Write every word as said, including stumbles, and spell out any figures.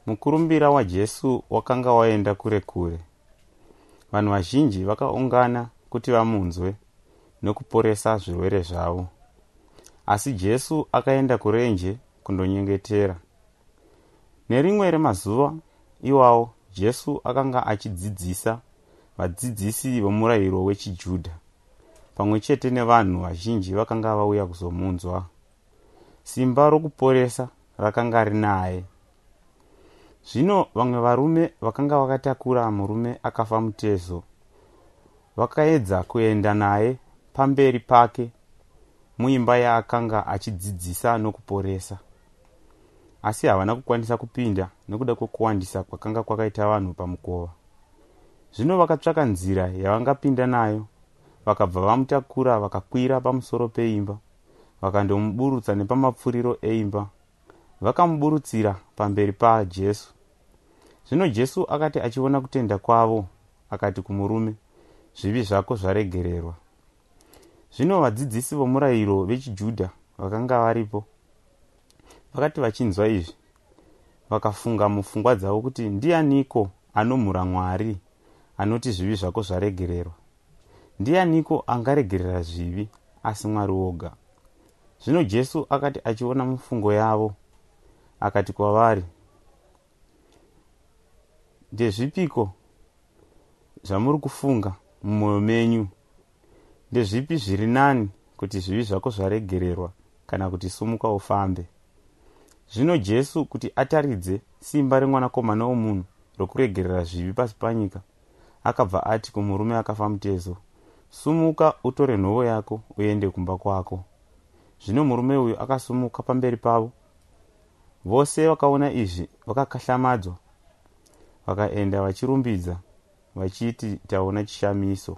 Mukurumbira waJesu wakanga waenda kure kure. Vanhu vazhinji vakaungana kuti vamunzwe nokuporesa zvirwere zvavo. Asi Jesu akaenda kurenje kundonyengetera. Nerimwe remazuva iwawo Jesu akanga achidzidzisa vadzidzisi vomurayiro wechiJudha pamwe chete nevanhu vazhinji vakanga vauya kuzomunzwa. Simba rokuporesa rakanga rinaye. Zvino vamwe varume vakanga vakatakura murume akafa mutezo vakaedza kuenda naye pamberi pake muimba yaakanga achidzidzisa nokuporesa. Asi havana kukwanisa kupinda nekuda kwekuwandisa kwakanga kwakaita vanhu pamukova. Zvino vakatsvaka nzira yavangapinda nayo, vakabva vamutakura vakakwira pamusoro peimba, vakandomuburutsa nepamapfuriro eimba, vakamuburutsira pamberi paJesu. Zvino Jesu akati achiona kutenda kwavo, akati kumurume, "Zvivi zvako zvaregererwa." Zvino vadzidzisi vomurayiro vechiJudha vakanga varipo vakati vachinzwa izvi, vakafunga mupfungwa dzavo kuti, "Ndianiko anomhura Mwari anoti zvivi zvako zvaregererwa? Ndianiko angaregerera zvivi asi Mwari woga?" Zvino Jesu akati achiona mifungo yavo, akati kwavari, "Ndezvipiko zvamuri kufunga mumwoyo menyu? Ndezvipi zviri nani, kuti zvivi zvako zvaregererwa kana kuti sumuka ufambe?" Zvino Jesu, kuti ataridze simba remwanakomana womunhu rokuregerera zvivi pasi panyika, akabva ati kumurume akafa mutezo, "Sumuka, utore nhovo yako uende kumba kwako." Zvino murume uyu akasumuka pamberi pavo. Vose vakaona izvi vakakahlamadzwa, vakaenda vachirumbidza vachiti, "Taona chishamiso."